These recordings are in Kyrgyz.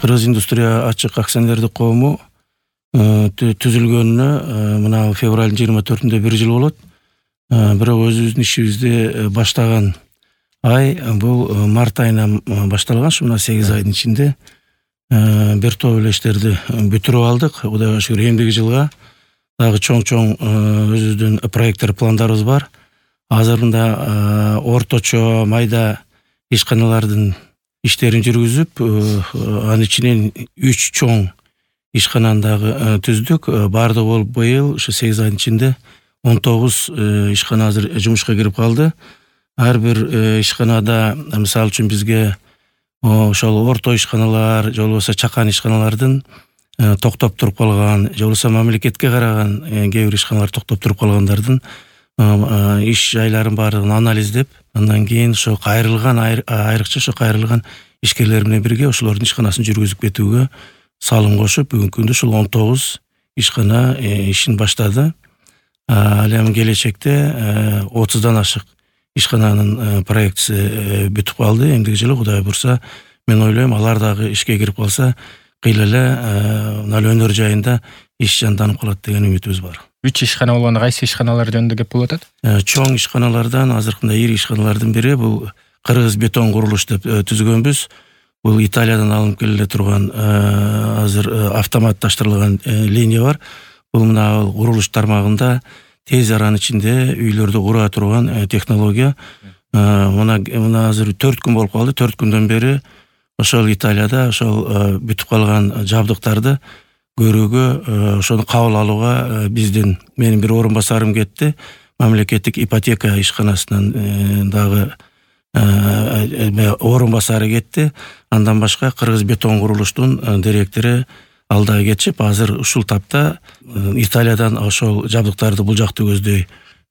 Кыргыз индустрия ачык акционердик коому түзүлгөнүнө мына февралдын 24-ндө 1 жыл болот. Бирок өзүбүздүн ишибизди баштаган ай бул март айынан башталган. Мына 8 айдын ичинде бир топ эле иштерди бүтүрүп алдык. Кудайга шүгүр, эмдиги жылга дагы чоң өзүбүздүн проекттер, пландарыбыз бар. Азыр мында орточо майда ишканалардын иштерин жүргүзүп, анын ичинен 3 чоң ишкананы дагы түздүк. Бардыгы болуп быйыл ушу 8 айдын ичинде 19 ишкана азыр жумушка кирип калды. Ар бир ишканада, мисалы үчүн бизге ошол орто ишканалар, же болбосо чакан ишканалардын токтоп туруп калган, же болбосо мамлекетке караган кээ бир ишканалар токтоп туруп калгандардын иш жайларын баардыгын анализдеп, андан кийин ошо кайрылган айрыкча ошо кайрылган ишкерлер менен бирге ошолордун ишканасын жүргүзүп кетүүгө салым кошуп, бүгүнкү күндө ушул 19 ишкана ишин баштады. Ал эми келечекте 30дан ашык ишкананын проектиси бүтүп калды. Эмдиги жылы Кудай бурса, мен ойлойм, алар дагы ишке кирип калса, кыйла эле мына өнөр жайында иш жанданып калат деген үмүтүбүз бар. 3 ишкана болгондо кайсы ишканалар жөнүндө кеп болуп атат? Чоң ишканалардан азыркында ири ишканалардын бири бул Кыргыз бетон курулуш деп түзгөнбүз. Бул Италиядан алынып келе турган азыр автоматташтырылган линия бар. Бул мына курулуш тармагында тез аранын ичинде үйлөрдү кура турган технология. Мына азыр 4 күн болуп калды. 4 күндөн бери ошол Италияда ошол бүтүп калган жабдыктарды көрүүгө, ошону кабыл алууга менин бир орун басарым кетти. Мамлекеттик ипотека ишканасынан дагы орун басары кетти. Андан башка Кыргыз бетон курулуштун директору ал дагы кетишип, азыр ушул тапта Италиядан ошол жабдыктарды бул жакты көздөй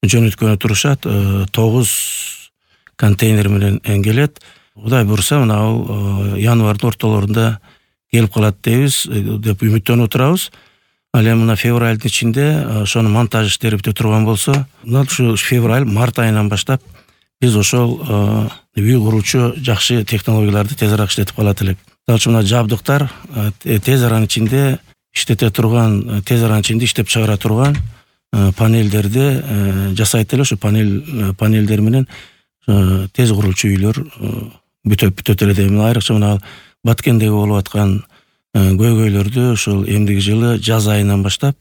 жөнөткөнү турушат. 9 контейнер менен келет. Кудай бурса, мына ал январдын ортолорунда келип калат деп үмүттөнүп отурабыз. Ал эми мына февралдын ичинде ошонун монтаж иштери бүтө турган болсо, мына ушу февраль, март айынан баштап биз ошол үй куруучу жакшы технологияларды тезирээк иштетип калат элек. Ал үчүн мына жабдыктар тез аранын ичинде иштете турган, тез аранын ичинде иштеп чыгара турган панелдерди жасайт эле. Ошо панелдер менен тез курулчу үйлөр бүтөт эле дейм. Айрыкча мына Баткендеги болуп аткан көйгөйлөрдү ушул эмдиги жылы жаз айынан баштап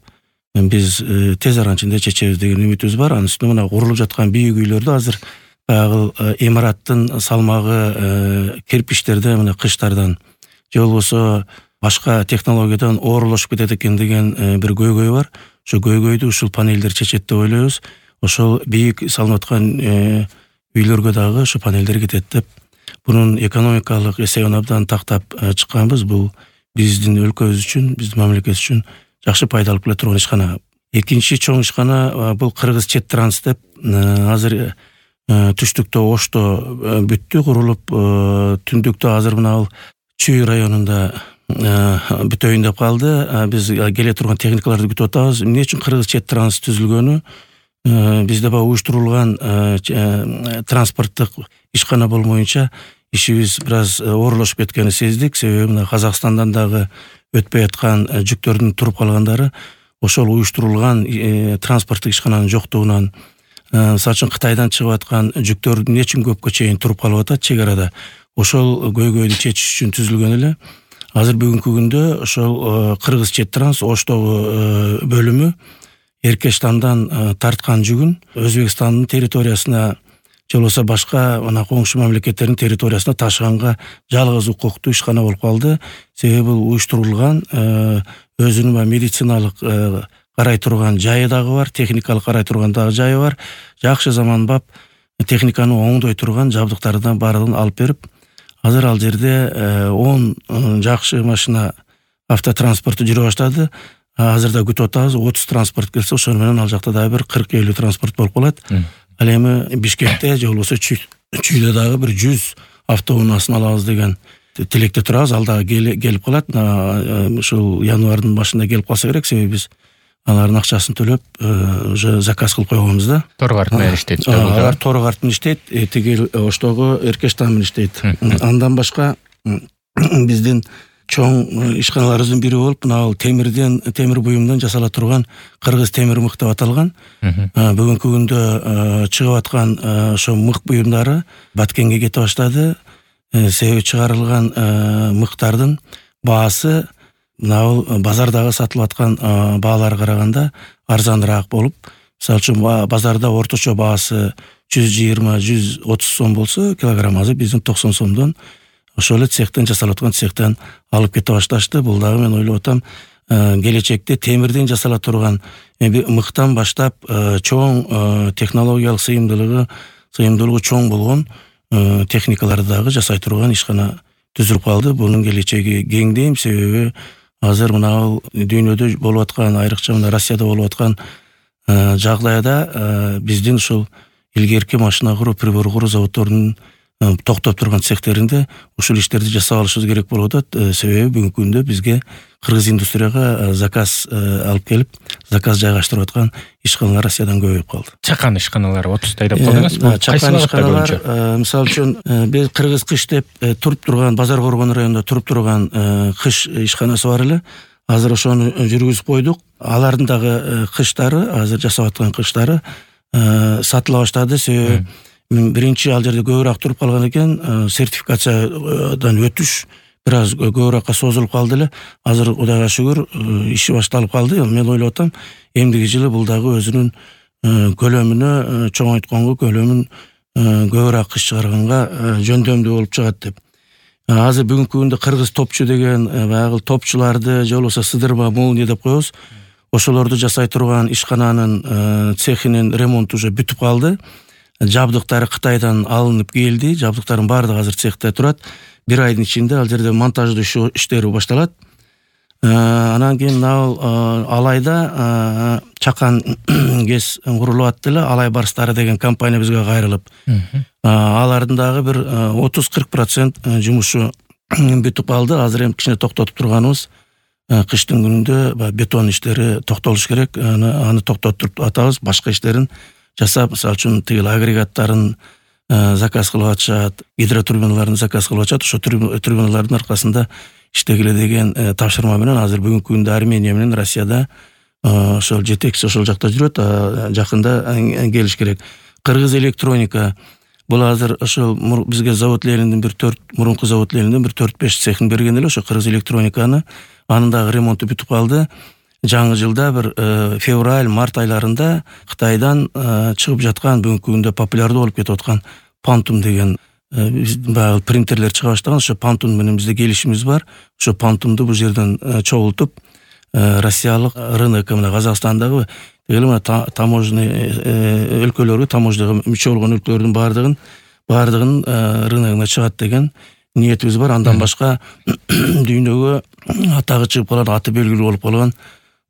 биз тез аранын ичинде чечебиз деген үмүтүбүз бар. Анын үстүнө мына курулуп жаткан бийик үйлөрдү азыр баягы имараттын салмагы кирпичтерде мына кыштардан же болбосо башка технологиядан оорулашып кетет экен деген бир көйгөй бар. Ошо көйгөйдү ушул панелдер чечет деп ойлойбуз. Ошол бийик салынып аткан үйлөргө дагы ошо панелдер кетет деп бунун экономикалык эсебин абдан тактап чыкканбыз. Бул биздин өлкөбүз үчүн, биздин мамлекет үчүн жакшы пайда алып келе турган ишкана. Экинчи чоң ишкана бул Кыргыз Чет Транс деп азыр түштүктө Ошто бүттү, курулуп, түндүктө азыр мына ал Чүй районунда бүтөйүн деп калды. Биз келе турган техникаларды күтүп атабыз. Эмне үчүн Кыргыз Чет Транс түзүлгөнү? Бизде баягы уюштурулган транспорттук ишкана болмоюнча ишибиз бир аз оорулашып кеткенин сездик. Себеби мына Казакстандан дагы өтпөй аткан жүктөрдүн туруп калгандары ошол уюштурулган транспорттук ишкананын жоктугунан, мисалы үчүн Кытайдан чыгып аткан жүктөр эмне үчүн көпкө чейин туруп калып атат чек арада. Ошол көйгөйдү чечиш үчүн түзүлгөн эле. Азыр бүгүнкү күндө ошол Кыргыз Чет Транс Оштогу бөлүмү Эркештандан тарткан жүгүн Өзбекстандын территориясына же болбосо башка мына коңшу мамлекеттердин территориясына ташыганга жалгыз укуктуу ишкана болуп калды. Себеби бул уюштурулган, өзүнүн медициналык карай турган жайы дагы бар, техникалык карай турган дагы жайы бар. Жакшы заманбап техниканы оңдой турган жабдыктардан баардыгын алып берип, азыр ал жерде 10 жакшы машина автотранспорту жүрө баштады. Азырда күтүп атабыз, 30 транспорт келсе, ошол менен ал жакта дагы бир 40-50 транспорт болуп калат. Ал эми Бишкекте же болбосо Чүйдө дагы бир 100 автоунаасын алабыз деген тилекте турабыз. Ал дагы келип калат. Ушул январдын башында келип калса керек, себеби биз алардын акчасын төлөп уже заказ кылып койгонбуз да. Тор карт менен иштейт. Алар тор карт менен иштейт, тиги Оштогу Эркештан менен иштейт. Андан башка биздин чоң ишканаларыбыздын бири болуп, мына темир буюмдан жасала турган Кыргыз темир мык деп аталган. Бүгүнкү күндө чыгып аткан ошо мык буюмдары Баткенге кете баштады. Себеби чыгарылган мыктардын баасы мына базардагы сатылып аткан бааларга караганда арзаныраак болуп, мисалы үчүн базарда орточо баасы 120-130 сом болсо килограмм, азыр биздин 90 сомдон ошол эле цехтен жасалып аткан цехтен алып кете башташты. Бул дагы мен ойлоп атам, келечекте темирден жасала турган мыктан баштап чоң технологиялык сыйымдуулугу чоң болгон техникаларды дагы жасай турган ишкана түзүлүп калды. Бунун келечеги кең дейм, себеби азыр мына дүйнөдө болуп аткан, айрыкча мына Россияда болуп аткан жагдайда биздин ушул илгерки машина куруу, прибор куруу заводдорунун токтоп турган цехтеринде ушул иштерди жасап алышыбыз керек болуп атат. Себеби бүгүнкү күндө бизге кыргыз индустрияга заказ алып келип, заказ жайгаштырып аткан ишканалар Россиядан көбөйүп калды. Чакан ишканалар 30тай деп койдуңуз. Чакан ишканалар, мисалы үчүн биз Кыргыз кыш деп туруп турган, Базар Коргон районунда туруп турган кыш ишканасы бар эле. Азыр ошону жүргүзүп койдук. Алардын дагы кыштары, азыр жасап аткан кыштары сатыла баштады. Себеби биринчи ал жерде көбүрөөк туруп калган экен, сертификациядан өтүш бир аз көбүрөөккө созулуп калды эле. Азыр Кудайга шүгүр иши башталып калды. Мен ойлоп атам, эмдиги жылы бул дагы өзүнүн көлөмүнө чоңойтконго, көлөмүн көбүрөөк кыш чыгарганга жөндөмдүү болуп чыгат деп. Азыр бүгүнкү күндө Кыргыз топчу деген баягы топчуларды же болбосо сыдырма, молния деп коебуз. Ошолорду жасай турган ишкананын цехинин ремонту уже бүтүп калды. Жабдыктары Кытайдан алынып келди. Жабдыктардын баардыгы азыр цехте турат. Бир айдын ичинде ал жерде монтаждоо иштери башталат. Анан кийин Алайда Чакан ГЭС курулуп атты эле. Алай барстары деген компания бизге кайрылып, алардын дагы бир 30-40% жумушу бүтүп калды. Азыр эми кичине токтотуп турганыбыз, кыштын күнүндө бетон иштери токтолуш керек. Аны токтотуп атабыз, башка иштерин жасап, мисалы үчүн тигил агрегаттарын заказ кылып атышат, гидротурбиналарын заказ кылып атышат. Ошо турбиналардын аркасында иштегиле деген тапшырма менен азыр бүгүнкү күндө Армения менен Россияда ошол жетекчи ошол жакта жүрөт. Жакында келиш керек. Кыргыз электроника бул азыр ошол бизге завод лениндин мурунку завод лениндин 4-5 цехин берген эле. Ошо Кыргыз электрониканы, анын дагы ремонту бүтүп калды. Жаңы жылда бир февраль-март айларында Кытайдан чыгып жаткан, бүгүнкү күндө популярдуу болуп кетип аткан Pantun деген баягы принтерлер чыга баштаган. Ошо Pantun менен бизде келишимибиз бар. Ошо Pantунду бул жерден чогултуп, россиялык рынок, мына Казакстандагы мына таможный өлкөлөргө, таможняга мүчө болгон өлкөлөрдүн баардыгын рыногуна чыгат деген ниетибиз бар. Андан башка дүйнөгө атагы чыгып калган, аты белгилүү болуп калган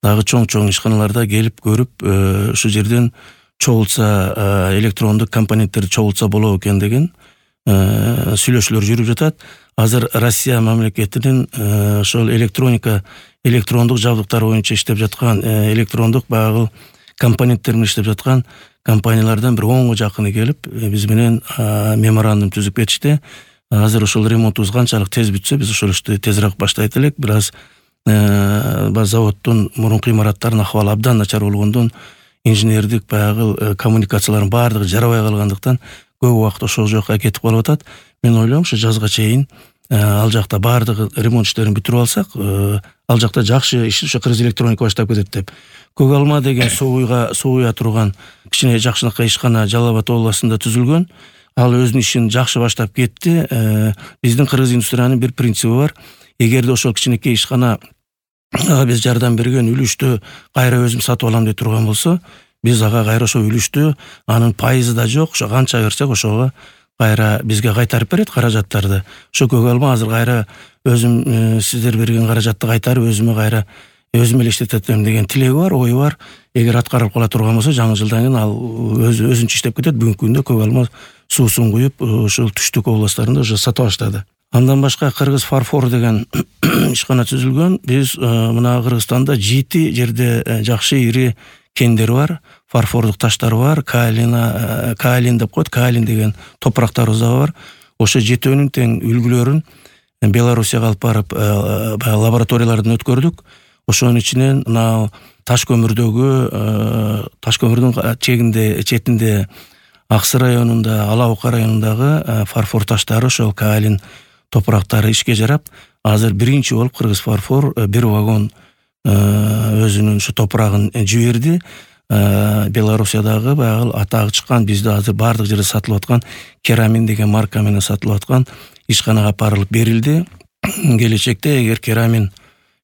дагы чоң ишканаларда келип көрүп, ушу жерден чогултса, электрондук компоненттерди чогултса болот экен деген сүйлөшүүлөр жүрүп жатат. Азыр Россия мамлекетинин ошол электрондук жабдыктар боюнча иштеп жаткан, электрондук баягы компоненттер менен иштеп жаткан компаниялардан бир 10га жакыны келип, биз менен меморандум түзүп кетишти. Азыр ошол ремонтубуз канчалык тез бүтсө, биз ошол ишти тезирээк баштайт элек. Бир аз заводдун мурунку имараттарынын акыбалы абдан начар болгондон, инженердик баягы коммуникациялардын баардыгы жарабай калгандыктан көп убакыт ошол жака кетип калып атат. Мен ойлойм, ошо жазга чейин ал жакта баардыгы ремонт иштерин бүтүрүп алсак, ал жакта жакшы иш, ошо Кыргыз электроника баштап кетет деп. Көк алма деген сууя турган кичине жакшынакай ишкана Жалал Абад областында түзүлгөн. Ал өзүнүн ишин жакшы баштап кетти. Биздин Кыргыз индустриянын бир принциби бар. Эгерде ошол кичинекей ишкана биз жардам берген үлүштү кайра өзүм сатып алам деп турган болсо, биз ага кайра ошо үлүштү, анын пайызы да жок, ошо канча берсек ошого кайра бизге кайтарып берет каражаттарды. Ошо көк алма азыр кайра өзүм сиздер берген каражатты кайтарып өзүм эле иштетем деген тилеги бар, ою бар. Эгер аткарылып кала турган болсо, жаңы жылдан кийин ал өзүнчө иштеп кетет. Бүгүнкү күндө көк алма суусун куюп, ошол түштүк областтарында уже сата баштады. Андан башка Кыргыз фарфор деген ишкана түзүлгөн. Биз мына Кыргызстанда 7 жерде жакшы ири кендер бар, фарфордук таштар бар, каолин деп коет, каолин деген топурактарыбыз да бар. Ошо 7-өнүн тең үлгүлөрүн Белоруссияга алып барып лабораториялардан өткөрдүк. Ошонун ичинен мына таш көмүрдүн четинде Аксы районунда, Ала Ока районундагы фарфор таштары, ошол каолин топурактары ишке жарап, азыр биринчи болуп кыргыз фарфор бир вагон өзүнүн ушу топурагын жиберди. Белоруссиядагы баягы атагы чыккан, бизде азыр бардык жерде сатылып аткан Керамин деген марка менен сатылып аткан ишканага апарылып берилди. Келечекте эгер Керамин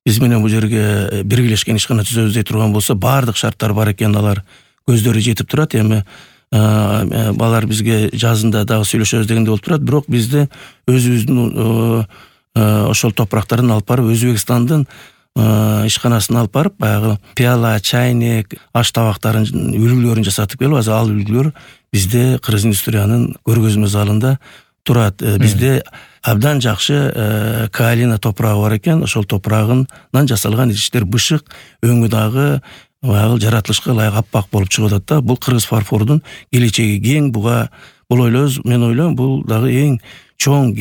биз менен бул жерге биргелешкен ишкана түзөбүз дей турган болсо, бардык шарттар бар экен, алар көздөрү жетип турат. Эми балар бизге жазында дагы сүйлөшөбүз дегенде болуп турат, бирок бизде өзүбүздүн ошол топурактарын алып барып, Өзбекстандын ишканасына алып барып, баягы пиала, чайник, аш табактарын үлгүлөрүн жасатып келип, азыр ал үлгүлөр бизде Кыргыз индустриянын көргөзмө залында турат. Бизде абдан жакшы каолина топурагы бар экен. Ошол топурагынан жасалган идиштер бышык, өңү дагы баягы жаратылышка ылайык аппак болуп чыгып атат да. Бул кыргыз фарфордун келечеги кең. Бул ойлойбуз, мен ойлойм, бул дагы эң чоң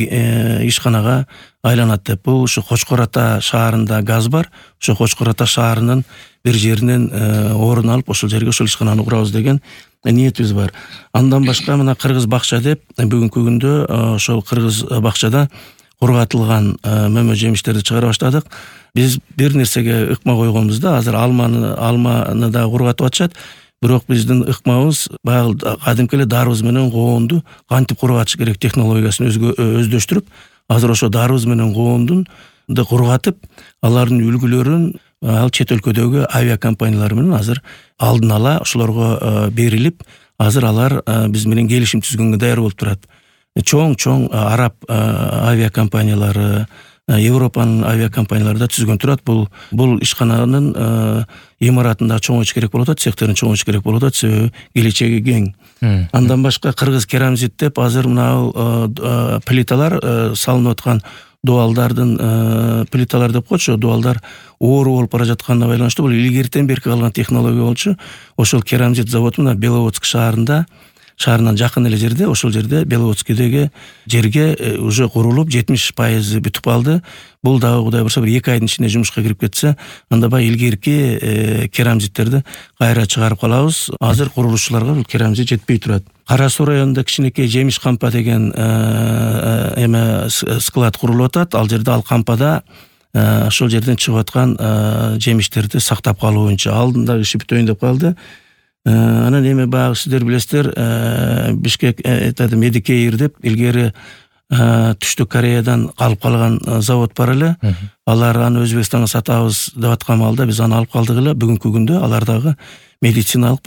ишканага айланат деп. Бул ушу Кочкор Ата шаарында газ бар. Ошо Кочкор Ата шаарынын бир жеринен орун алып, ошол жерге ошол ишкананы курабыз деген ниетибиз бар. Андан башка мына Кыргыз бакча деп бүгүнкү күндө ошол Кыргыз бакчада кургатылган мөмө жемиштерди чыгара баштадык. Биз бир нерсеге ыкма койгонбуз да, азыр алманы да кургатып атышат. Бирок биздин ыкмабыз баягы кадимки эле дарыбыз менен коонду кантип кургатыш керек технологиясын өздөштүрүп, азыр ошо дарыбыз менен коондун кургатып, алардын үлгүлөрүн ал чет өлкөдөгү авиакомпаниялар менен азыр алдын ала ошолорго берилип, азыр алар биз менен келишим түзгөнгө даяр болуп турат. Чоң араб авиакомпаниялары, Европанын авиакомпаниялары да түзгөн турат. Бул ишкананын имаратында чоңойтуш керек болуп атат, цехтерин чоңойтуш керек болуп атат, себеби келечеги кең. Андан башка Кыргыз Керамзит деп азыр мына плиталар салынып аткан, дуалдардын плиталар деп коечу, дуалдар оору болуп бара жатканына байланыштуу. Бул илгертен берки калган технология болчу. Ошол Керамзит заводу мына Беловодск шаарынан жакын эле жерде, ошол жерде Беловодскидеги жерге уже курулуп 70% бүтүп калды. Бул дагы Кудай бурса бир 2 айдын ичинде жумушка кирип кетсе, анда баягы илгерки керамзиттерди кайра чыгарып калабыз. Азыр курулушчуларга бул керамзит жетпей турат. Кара Суу районунда кичинекей жемиш кампа деген склад курулуп атат. Ал жерде ал кампада ошол жерден чыгып аткан жемиштерди сактап калуу боюнча алдында иши бүтөйүн деп калды. Анан эми баягы сиздер билесиздер, Бишкек Медикейр деп илгери Түштүк Кореядан калып калган завод бар эле. Алар аны Өзбекстанга сатабыз деп аткан маалда биз аны алып калдык эле. Бүгүнкү күндө алардагы медициналык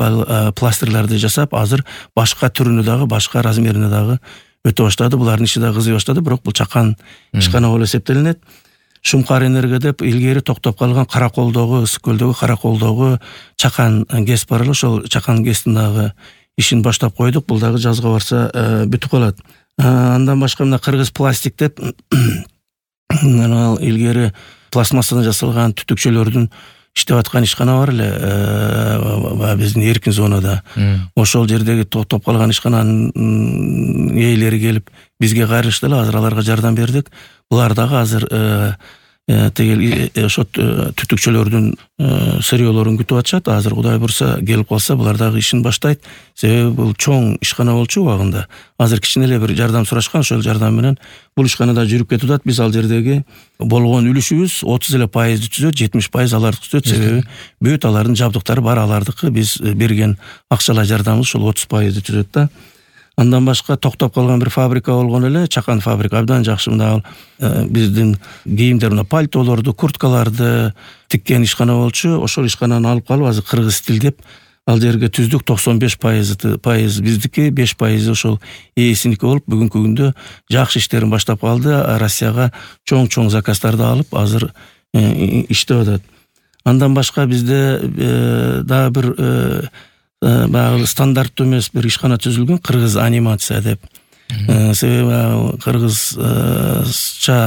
пластырларды жасап, азыр башка түрүнө дагы, башка размерине дагы өтө баштады. Булардын иши дагы кызый баштады, бирок бул чакан ишкана болуп эсептелинет. Шумкар энерго деп илгери токтоп калган Караколдогу, Ысык көлдөгү Караколдогу чакан ГЭС бар эле, ошол чакан ГЭСтин дагы ишин баштап койдук. Бул дагы жазга барса бүтүп калат. Андан башка мына Кыргыз пластик деп илгери пластмассадан жасалган түтүкчөлөрдүн иштеп аткан ишкана бар эле биздин эркин зонада. Ошол жердеги токтоп калган ишкананын ээлери келип бизге кайрылышты эле, азыр аларга жардам бердик. Булар дагы азыр ошо түтүкчөлөрдүн сырьёлорун күтүп атышат. Азыр Кудай бурса келип калса, булар дагы ишин баштайт. Себеби бул чоң ишкана болчу убагында. Азыр кичине эле бир жардам сурашкан, ошол жардам менен бул ишканада жүрүп кетип атат. Биз ал жердеги болгон үлүшүбүз 30% түзөт, 70% алардыкы түзөт. Себеби бүт алардын жабдыктары бар, алардыкы. Биз берген акчалай жардамыбыз ошол 30% түзөт да. Андан башка токтоп калган бир фабрика болгон эле, чакан фабрика. Абдан жакшы мына биздин кийимдер, мына пальтолорду, курткаларды тиккен ишкана болчу. Ошол ишкананы алып калып, азыр кыргыз стил деп ал жерге түздүк. 95% биздики, 5% ошол ээсиники болуп, бүгүнкү күндө жакшы иштерин баштап калды. Россияга чоң заказдарды алып, азыр иштеп атат. Андан башка бизде дагы бир баягы стандарттуу эмес бир ишкана түзүлгөн, Кыргыз анимация деп. Себеби кыргызча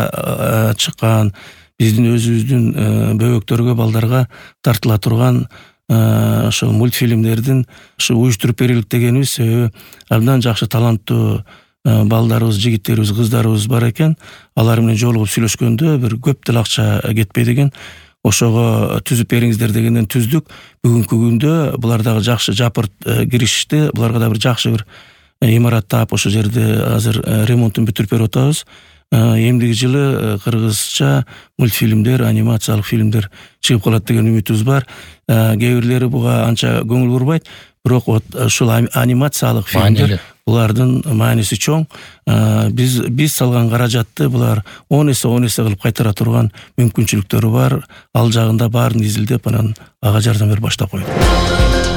чыккан, биздин өзүбүздүн бөбөктөргө, балдарга тартыла турган ошо мультфильмдердин уюштуруп берилик дегенибиз. Себеби абдан жакшы таланттуу балдарыбыз, жигиттерибиз, кыздарыбыз бар экен. Алар менен жолугуп сүйлөшкөндө бир көп деле акча кетпейт экен. Ошого түзүп бериңиздер дегенден түздүк. Бүгүнкү күндө булар дагы жакшы жапырт киришти. Буларга да бир жакшы бир имарат таап ошол жерде азыр ремонтун бүтүрүп берип атабыз. Эмдиги жылы кыргызча мультфильмдер, анимациялык фильмдер чыгып калат деген үмүтүбүз бар. Кээ бирлери буга анча көңүл бурбайт, бирок ушул анимациялык фильмдер булардын мааниси чоң. Биз салган каражатты булар 10 эсе кылып кайтара турган мүмкүнчүлүктөрү бар. Ал жагында баарын изилдеп, анан ага жардам берип баштап койдук.